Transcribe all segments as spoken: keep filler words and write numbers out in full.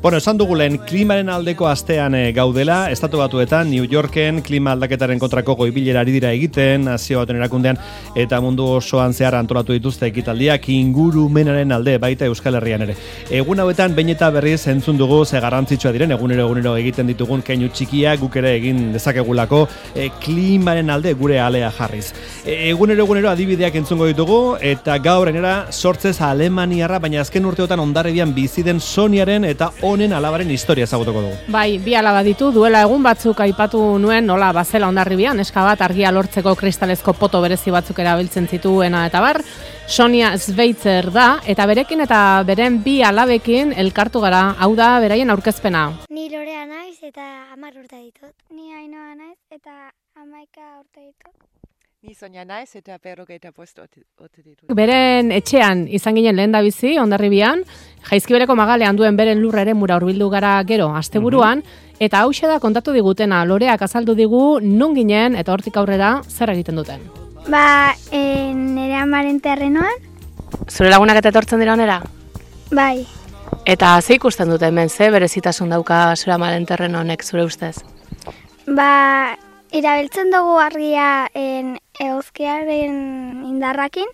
Bueno, esan dugulen klimaren aldeko astean e, gaudela, Estatu Batuetan, New Yorken, klima aldaketaren kontrako goibilera ari dira egiten, Nazio Batuen Erakundean eta mundu osoan zehar antolatu dituzte ekitaldiak ingurumenaren alde, baita Euskal Herrian ere. Egun hauetan, behin eta berriz entzun dugu ze garrantzitsua diren, egunero egunero egiten ditugun keinu txikia, guk ere egin dezakegulako e, klimaren alde gure alea jarriz. E, egunero egunero adibideak entzungo ditugu, eta gaur enera sortzez Alemaniarra, baina azken urteotan Hondarribian bizi den Soniaren eta honen alabaren historia ezagutuko dugu. Bai, bi alaba ditu, duela egun batzuk aipatu nuen nola bazela Hondarribian, neska bat argia lortzeko kristalezko poto berezi batzuk erabiltzen zituena eta bar, Sonia Sveitzer da, eta berekin eta beren bi alabekin elkartu gara, hau da beraien aurkezpena. Ni Lorea naiz eta hamar urte ditut. Ni Ainhoa naiz eta hamaika urte ditut. Ni Sonia naiz eta berrogeita bost urte ditut. Beren etxean izan ginen lehen da bizi, Hondarribian, Jaizkibereko magalean duen beren lurra ere mura hurbildu gara gero asteburuan, mm-hmm. eta hauxe da kontatu digutena, Loreak azaldu digu non ginen eta hortik aurrera zer egiten duten. Ba, e, nire amaren terrenoan. Zure lagunak eta etortzen dira onera? Bai. Eta ze ikusten dute hemen, ze berezitasun dauka zure amaren terreno honek zure ustez? Ba, erabiltzen dugu argia en eguzkiaren indarrakin,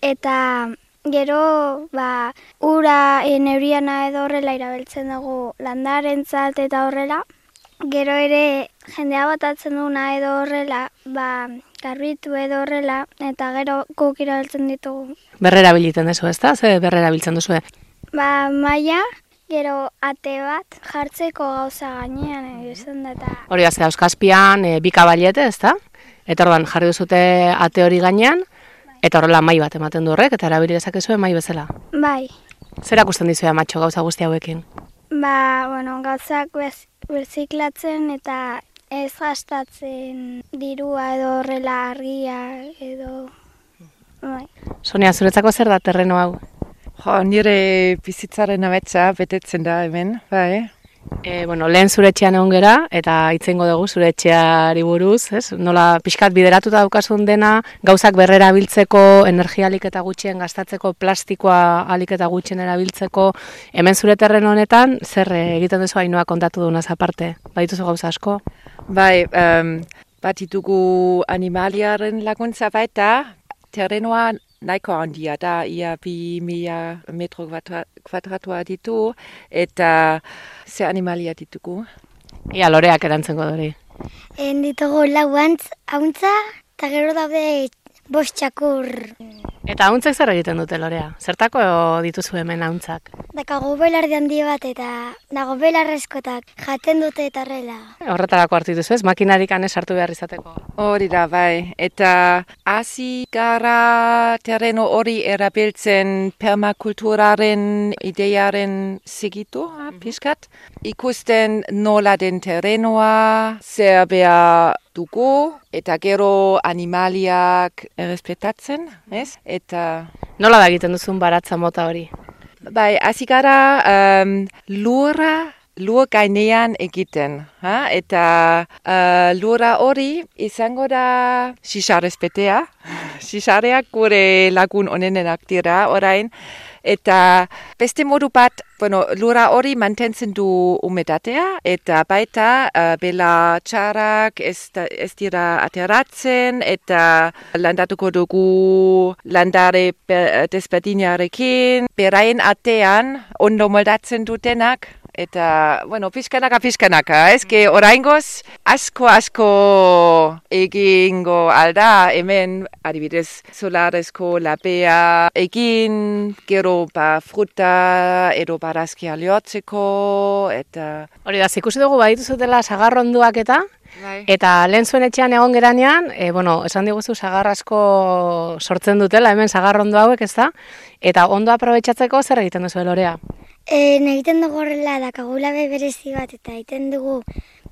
eta gero ba, ura en euriana edo horrela erabiltzen dugu landarentzat eta horrela. Gero ere jendea botatzen duna edo horrela, ba, garbitu edo horrela, eta gero guk erabiltzen ditugu. Berrera biliten duzu, ezta? Ze berrera biltzen duzu? Ba, maia, gero ate bat jartzeko gauza gainean egiten da eta... Hori da, ze dauzkazpian e, bi kabalete, ezta? Eta orduan jarri duzute ate hori gainean, eta horrela mai bat ematen du horrek, eta erabili dezakezue mai bezala. Bai. Zer akusten dizuea matxo gauza guzti hauekin? Ba, bueno, gauzak bez, berziklatzen eta ez gastatzen dirua edo horrela argia edo... Bai. Sonia, zuretzako zer da terreno hau? Jo, nire bizitzaren ametsa betetzen da hemen, bai. E, bueno, lehen zure etxean egon gera, eta itzengo dugu zure etxeari buruz, ez? Nola pixkat bideratuta daukasun dena, gauzak berrera biltzeko, energia alik eta gutxien gastatzeko, plastikoa alik eta gutxien erabiltzeko, hemen zure terreno honetan, zer egiten duzu Ainhoa kontatu dunaz aparte? Badituzu gauza asko? Bai, um, bat ditugu animaliaren laguntza baita, terrenoa nahiko handia da, ia bi mila metro kuadratua ditu, eta ze animalia ditugu? Ia Loreak erantzengo dori. En ditugu lau antz, hauntza, eta gero daude bost txakur. Eta hauntzek zer egiten dute, Lorea? Zertako dituzu hemen hauntzak? Dakago belardi handi bat eta dago belarrezkotak jaten dute eta horrela. Horretarako hartu dituzu ez, makinarik anez hartu behar izateko. Hori da, bai. Eta hasi gara terreno hori erabiltzen permakulturaren idearen segitu, mm-hmm. pixkat. Ikusten nola den terrenoa, zer behar dugu, eta gero animaliak errespetatzen, ez? Eta... Nola da egiten duzun baratza mota hori? Bai, hasi gara um, lurra, lur gainean egiten, ha? Eta uh, lurra hori izango da xixarezpetea. Xixareak gure lagun onenenak dira orain. Eta beste modu bat, bueno, lurra hori mantentzen du umedatea, eta baita uh, bela txarrak ez, ez dira ateratzen, eta landatuko dugu landare desberdinarekin, beraien artean ondo moldatzen dutenak, eta, bueno, pixkanaka, pixkanaka, ez, que oraingoz asko, asko egingo alda, hemen, adibidez, solarezko lapea egin, gero ba fruta edo barazkia lehortzeko, eta... Hori da, ikusi dugu badituzutela sagarronduak eta, bai. Eta lehen zuen etxean egon geranean, e, bueno, esan diguzu sagar asko sortzen dutela, hemen sagarrondu hauek, ez da? Eta ondo aprobetxatzeko zer egiten duzu, Lorea? E, egiten dugu horrela dakagulabe berezi bat, eta egiten dugu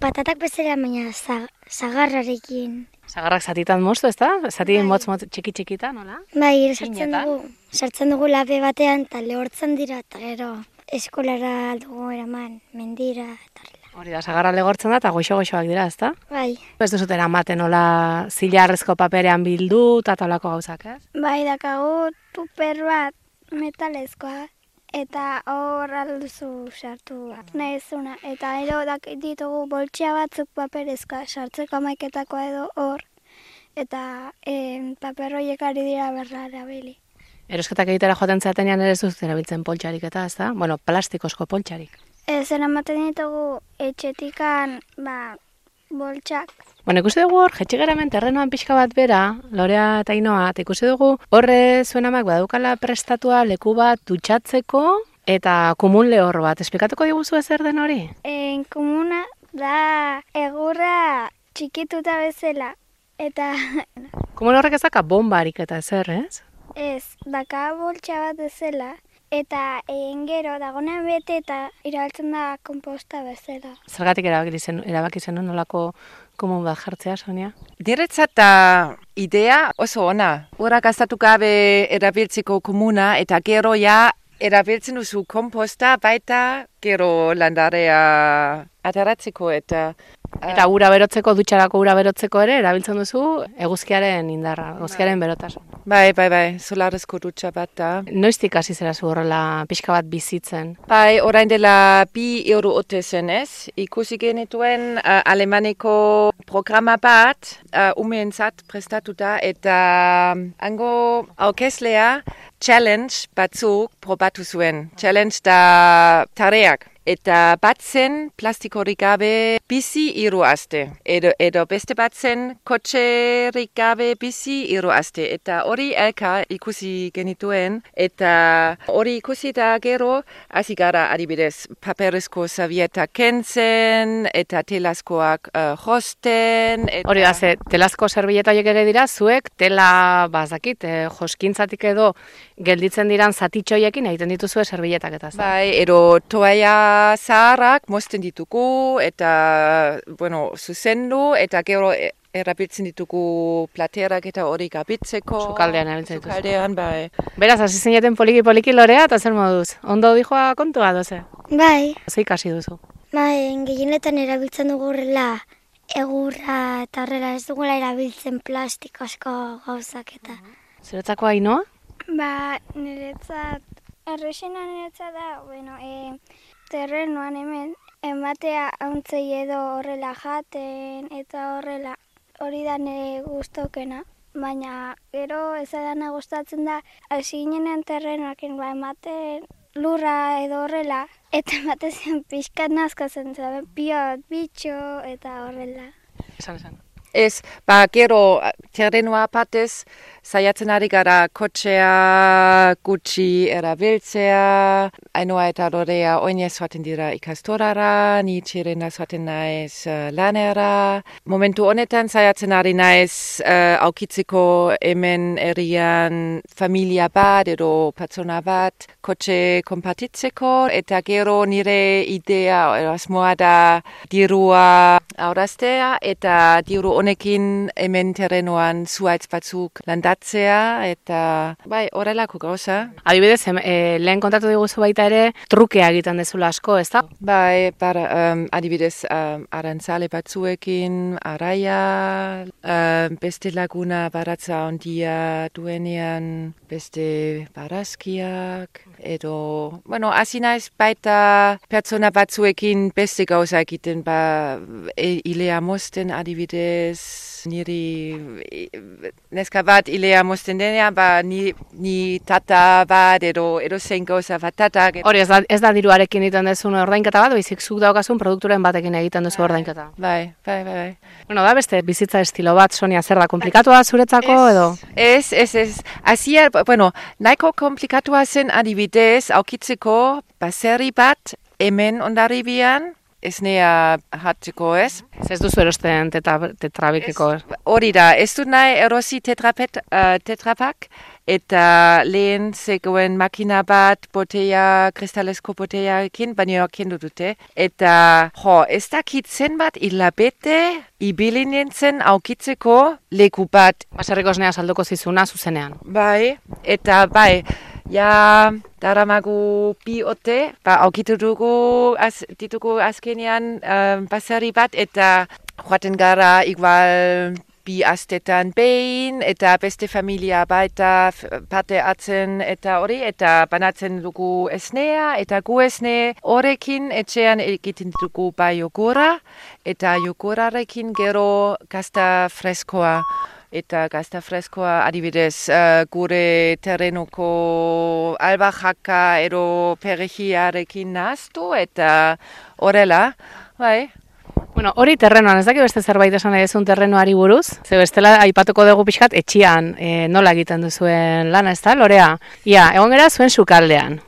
patatak bezala, baina sagarrarekin. Sagarrak zatitan moztu, ez da? Zati bai. motz, motz, txiki txikita, nola? Bai, sartzen dugu, sartzen dugu labe batean, eta lehortzen dira, eta gero eskolara dugu eraman, mendira, eta horrela. Hori da, sagarra legortzen da, eta goxo-goxoak dira, ez da? Bai. Ez duzuten amaten, nola zilarrezko paperean bildu, eta talako gauzak, ez? Bai, dakagu tuper bat metalezkoa. eta hor alduzu sartu nahi zuna. Eta ero ditugu boltsia batzuk paperezkoa sartzeko amaiketakoa edo hor, eta e, paper horiek ari dira berra erabili. Erosketak egitera joaten zatenean ere ez dut erabiltzen poltsarik eta, ez da? Bueno, plastikozko poltsarik. Ez, eramaten ditugu etxetikan, ba, boltsak. Bueno, ikusi dugu hor, jetxigeramen terrenoan pixka bat bera, Lorea eta Ainoa, eta ikusi dugu horre zuen amak badukala prestatua leku bat dutxatzeko eta kumun lehor bat. Esplikatuko diguzu ezer den hori? En komuna da egurra txikituta bezala, eta... Kumun horrek ezaka bombarik eta ezer, ez? Ez, daka boltsa bat bezala, eta egin gero dagoenean bete eta irabiltzen da komposta bezala. Zergatik erabaki zen, erabaki zen nolako komun bat jartzea, Sonia? Niretzat da idea oso ona. Ura gastatu gabe erabiltzeko komuna eta gero ja erabiltzen duzu komposta baita gero landarea ateratzeko eta... Eta ura berotzeko, dutxarako ura berotzeko ere, erabiltzen duzu eguzkiaren indarra, eguzkiaren berotasun. Bai, bai, bai, solarezko dutxa bat da. Noiztik hasi zera zu horrela pixka bat bizitzen? Bai, orain dela bi euro ote zen ez. Ikusi genituen uh, Alemaneko programa bat, uh, umeentzat prestatuta, eta hango aurkezlea challenge batzuk probatu zuen. Challenge da tareak. Eta bat zen plastikorik gabe bizi hiru aste. Edo, edo beste bat zen kotxerik gabe bizi hiru aste. Eta hori elka ikusi genituen. Eta hori ikusi da gero, hasi gara adibidez paperezko servieta kentzen, eta telazkoak uh, josten. Eta... Hori da, ze telazko servieta horiek ere dira, zuek tela bazakit, eh, joskintzatik edo gelditzen diran zatitxoiekin egiten dituzue servietak eta. Bai, edo toaia zaharrak mozten ditugu eta, bueno, zuzendu eta gero erabiltzen ditugu platerak eta hori gabitzeko. Sukaldean erabiltzen dituzu. Sukaldean, bai. Beraz, hasi zineten poliki-poliki Lorea eta zer moduz? Ondo dijoa kontua doze? Bai. Zer ikasi duzu? Bai, gehienetan erabiltzen dugu horrela egurra eta horrela ez dugula erabiltzen plastikozko gauzak eta. Zeretzako Ainoa? Ba, niretzat, errexena niretzat da, bueno, e, terrenoan hemen, ematea hauntzei edo horrela jaten eta horrela hori da nire gustokena. Baina gero ez dana gustatzen da, hasi ginenean terrenoakin ba, ematen lurra edo horrela, eta ematen zen pixkat nazkazen zaben, piot, bitxo eta horrela. Esan, esan. Ez, ba, gero terrenoa batez, saiatzen ari gara kotxea gutxi erabiltzea, Ainoa eta Lorea oinez joaten dira ikastorara, ni txirena joaten naiz uh, lanera. Momentu honetan saiatzen ari naiz uh, aukitzeko hemen herrian familia bat edo pertsona bat kotxe konpartitzeko, eta gero nire idea asmoa da dirua aurraztea eta diru honekin hemen terrenoan zuhaitz batzuk landatzea eta bai, horrelako gauza. Adibidez, e, lehen kontatu diguzu baita ere trukea egiten dezula asko, ez da? Bai, para, um, adibidez um, arantzale batzuekin, araia, um, beste laguna baratza ondia duenean, beste barazkiak, edo, bueno, hasi naiz baita pertsona batzuekin beste gauza egiten, ba, e, ilea mozten adibidez, niri neska bat ilea mozten denean, ba, ni, ni tata bat, edo, edo zein gauza bat tatak. Hori, ez da, ez da diruarekin egiten duzun ordainketa bat, baizik zuk daukazun produkturen batekin egiten duzu ordainketa. Bai, bai, bai, bai. Bueno, da beste bizitza estilo bat, Sonia, zer da, komplikatua zuretzako ez, edo? Ez, ez, ez. Azia, bueno, nahiko komplikatua zen adibidez, aukitzeko baserri bat hemen Hondarribian, ez nea hartzeko ez. Ez duzu erosten tetra, tetrabikeko. Hori da, ez dut nahi erosi tetrapet, uh, tetrapak, eta lehen zegoen makina bat botella, kristalesko botellaekin, baina kendu dute. Eta, jo, ez dakit zenbat hilabete ibili nintzen aukitzeko leku bat. Baserriko esnea salduko zizuna zuzenean. Bai, eta bai, ja, daramagu bi ote, ba, aukitu dugu, az, ditugu azkenean um, baserri bat, eta joaten gara igual bi astetan behin, eta beste familia baita parte hartzen eta hori, eta banatzen dugu esnea, eta gu esne horrekin etxean egiten dugu bai jogura, eta jogurarekin gero gazta freskoa. Eta gazta freskoa adibidez uh, gure terrenuko albahaka edo perejiarekin nahaztu eta horrela, bai. Bueno, hori terrenoan, ez daki beste zerbait esan nahi duzun terrenoari buruz? Ze bestela aipatuko dugu pixkat etxian e, nola egiten duzuen lana, ez da, Lorea? Ia, egon gara zuen sukaldean.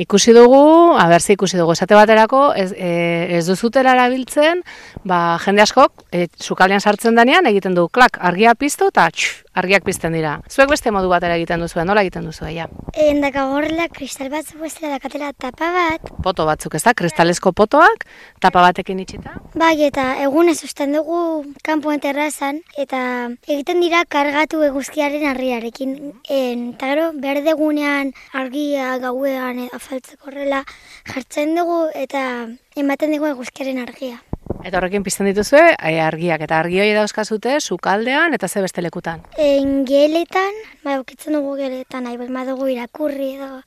Ikusi dugu, abertzi ikusi dugu, esate baterako, ez, e, ez duzutela erabiltzen, ba, jende askok, e, sukaldean sartzen denean, egiten du, klak, argia piztu eta txuf, argiak pizten dira. Zuek beste modu batera egiten duzuen, nola egiten duzu, ja? Endakagorrela kristal batzuk bestela dakatela tapa bat. Poto batzuk, ez da, kristalezko potoak, tapa batekin itxita. Bai, eta egunez usten dugu kanpoen terrazan, eta egiten dira kargatu eguzkiaren argiarekin. Eta gero, berdegunean argia gauean afaltzeko horrela jartzen dugu eta ematen dugu eguzkiaren argia. Eta horrekin pizten dituzue e, argiak, eta argi hori dauzkazute sukaldean eta ze beste lekutan? En geletan, bai, ukitzen dugu geletan, nahi behar dugu irakurri edo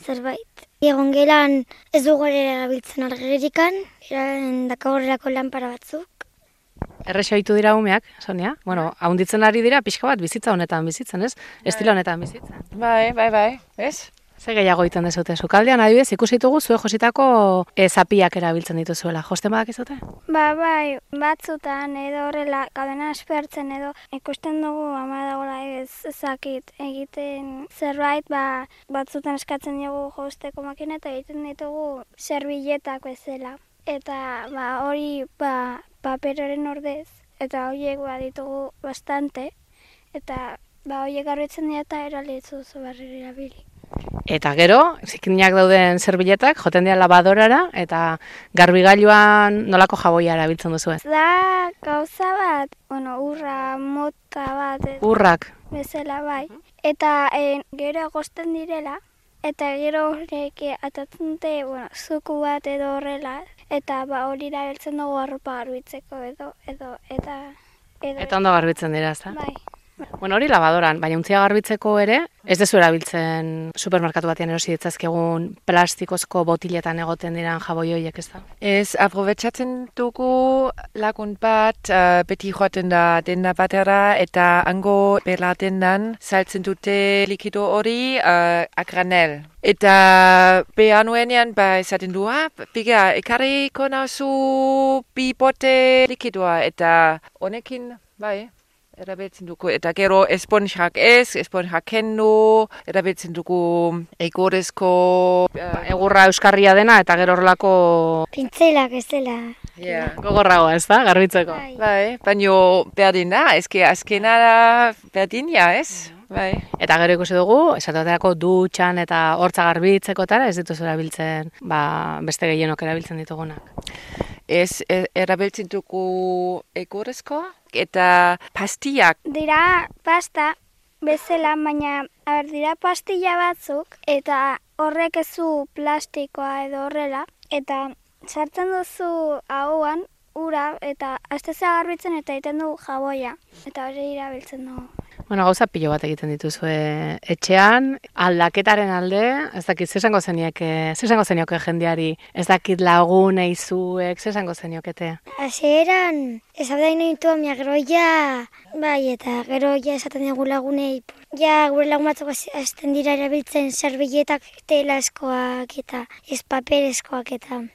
zerbait. Egon gelan ez dugu ere erabiltzen argirikan, endakagorrelako lanpara batzuk. Errexo hitu dira umeak, Sonia? Bueno, haunditzen ari dira pixka bat bizitza honetan bizitzen, ez? Estilo honetan bizitzen. Bai, bai, bai, ez? Ze gehiago egiten dezute sukaldean, adibidez, ikusi ditugu zue jositako e, zapiak erabiltzen dituzuela. Josten badakizute? Ba, bai, batzutan edo horrela kadena aspertzen edo ikusten dugu ama dagoela ez ezakit egiten zerbait, ba, batzutan eskatzen dugu josteko makina eta egiten ditugu serbiletak bezala. Eta ba, hori ba, paperoren ordez eta horiek ba, ditugu bastante eta ba, horiek garbitzen dira eta eralitzu zu barriro erabili. Eta gero, zikinak dauden zerbiletak, joten dira labadorara, eta garbigailuan nolako jaboia erabiltzen duzu ez? Da gauza bat, bueno, urra mota bat. Ez, Urrak. Bezala bai. Eta en, gero agosten direla, eta gero horrek atatzen dute, bueno, zuku bat edo horrela, eta ba, hori erabiltzen dugu arropa garbitzeko edo, edo, eta... Edo, Eta ondo garbitzen dira, ez da? Bai. Bueno, hori labadoran, baina untzia garbitzeko ere, ez dezu erabiltzen supermerkatu batean erosi ditzazkegun plastikozko botiletan egoten diran jaboi horiek, ez da? Ez, aprobetxatzen dugu lagun bat uh, beti joaten da denda batera eta hango bela dendan saltzen dute likido hori uh, a granel. Eta behar nuenean ba esaten du, ah, biga, ekarriko nauzu bi bote likidoa eta honekin, bai, erabiltzen dugu, eta gero esponjak ez, esponjak kendu, erabiltzen dugu egurrezko... Ba, egurra euskarria dena, eta gero horrelako... Pintzelak ez dela. Yeah. Gogorragoa, ez da, garbitzeko. Bai. Bai, baino berdin da, eske azkena da berdin, ja, ez? Bai. Eta gero ikusi dugu, esatoterako dutxan eta hortza garbitzekotara, ez dituzu erabiltzen, ba, beste gehienok erabiltzen ditugunak. Ez e, erabiltzen dugu egurrezko eta pastillak. Dira pasta bezala, baina aber, dira pastilla batzuk eta horrek ezu plastikoa edo horrela eta sartzen duzu ahoan ura eta astezea garbitzen eta egiten du jaboia eta hori erabiltzen dugu. Bueno, gauza pilo bat egiten dituzue etxean, aldaketaren alde, ez dakit, zesango zenieke, zesango zenioke jendeari, ez dakit lagunei zuek, zesango zeniokete? Hasieran, ez abdain nahitu amia gero ja, bai, eta gero ja esaten dugu lagunei, ja gure lagun batzuk azten dira erabiltzen serbiletak telaskoak eta ez paperezkoak eta...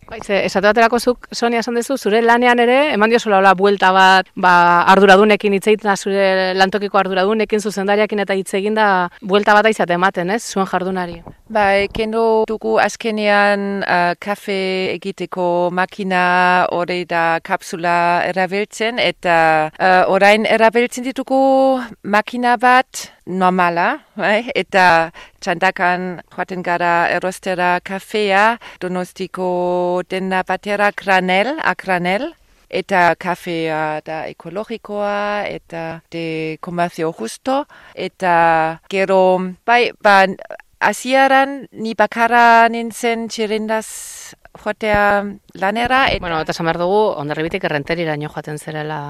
Baitze, esate baterako zuk, Sonia, esan duzu, zure lanean ere, eman diozula hola buelta bat, ba, arduradunekin hitz egiten, zure lantokiko arduradunekin, zuzendariakin eta hitz egin da, buelta bat aizate ematen, ez, zuen jardunari. Bai, kendu dugu azkenean uh, kafe egiteko makina hori da kapsula erabiltzen, eta uh, orain erabiltzen ditugu makina bat normala, bai? Eta txandakan joaten gara erostera kafea, Donostiko denda batera granel, a granel, eta kafea da ekologikoa, eta de comercio justo, eta gero, bai, ba, hasieran ni bakarra nintzen txirindaz joatea lanera. Eta... Bueno, eta esan behar dugu, Hondarribitik errenteriraino joaten zerela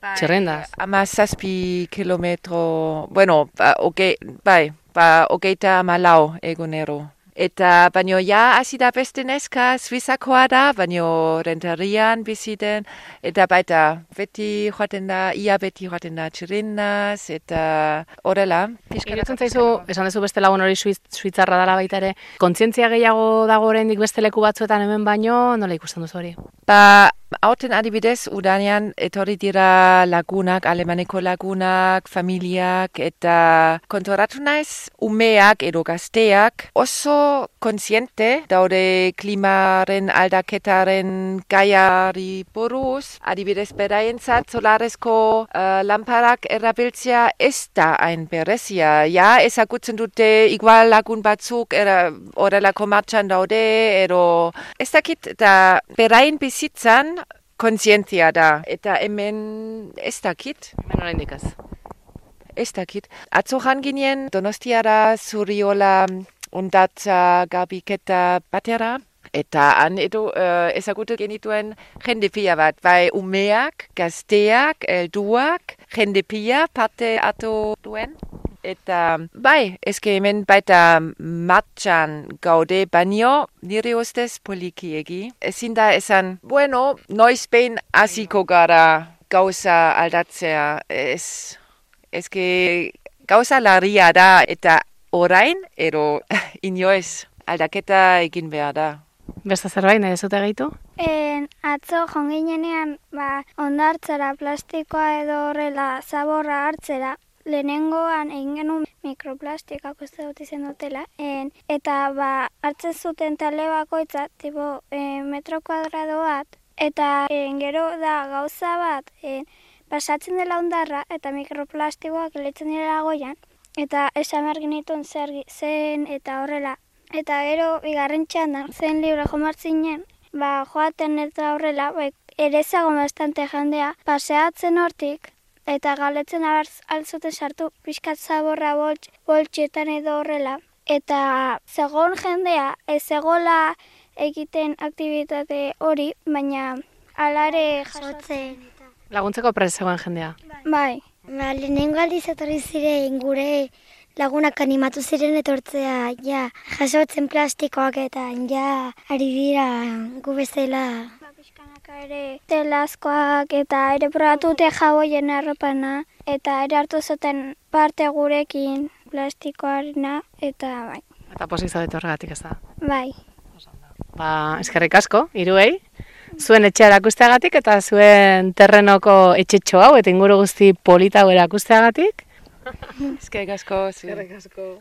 Txirrindaz. Ama zazpi kilometro, bueno, ba, oge, bai, ba, ogeita malau egunero. Eta baino ja hasi da beste neska Suizakoa da, baino Renterian bizi den, eta baita beti joaten da, ia beti joaten da txirrindaz, eta horrela. Iruditzen zaizu, esan duzu beste lagun hori Suiz, Suitzarra dela baita ere, kontzientzia gehiago dago oraindik beste leku batzuetan hemen baino, nola ikusten duzu hori? Ba, hauten adibidez, udanean etorri dira lagunak, alemaneko lagunak, familiak, eta konturatu naiz, umeak edo gazteak oso kontziente daude klimaren aldaketaren gaiari buruz. Adibidez, beraientzat solarezko uh, lamparak erabiltzea ez da hain berezia. Ja, ezagutzen dute igual lagun batzuk era, horrelako martxan daude, edo ez dakit da beraien bizitzan kontzientzia da, eta hemen ez dakit. Hemen oraindik ez. Ez dakit. Atzo jan ginen Donostiara Zuriola ondatza garbiketa batera, eta han edo uh, ezagutu genituen jende pila bat, bai umeak, gazteak, helduak, jende pila parte hartu duen. Eta bai, eske hemen baita martxan gaude, baino nire ustez polikiegi. Ezin da esan, bueno, noiz behin hasiko gara gauza aldatzea. Ez, eske gauza larria da, eta orain, ero inoiz aldaketa egin behar da. Beste zerbait, nahi zute gehitu? En, atzo jonginenean, ba, ondartzara plastikoa edo horrela zaborra hartzera, lehenengoan egin genuen mikroplastikak uste dut izan dutela, en, eta ba, hartzen zuten talde bakoitza, tipo, en, metro kuadrado bat, eta en, gero da gauza bat, en, pasatzen dela ondarra, eta mikroplastikoak letzen dira goian, eta esan behar genituen zer zen eta horrela. Eta gero, bigarren txandan, zen libre jomartzinen, ba, joaten eta horrela, ba, ere zagon bastante jendea, paseatzen hortik, eta galetzen altzuten sartu pixkat zaborra boltx, boltxetan edo horrela. Eta zegoen jendea, ez zegoela egiten aktivitate hori, baina alare jasotzen. Laguntzeko prest zegoen jendea. Bai. Ba, lehenengo aldiz etorri ziren gure lagunak animatu ziren etortzea, ja, jasotzen plastikoak eta ja, ari dira gu bezala. Ere telazkoak eta ere probatute jaboien arropana eta ere hartu zuten parte gurekin plastikoarena eta bai. Eta pozik zaudete horregatik ez da. Bai. Ba, eskerrik asko, hiruei, zuen etxea erakusteagatik eta zuen terrenoko etxetxo hau eta inguru guzti polita hau erakusteagatik. Eskerrik asko. Eskerrik asko.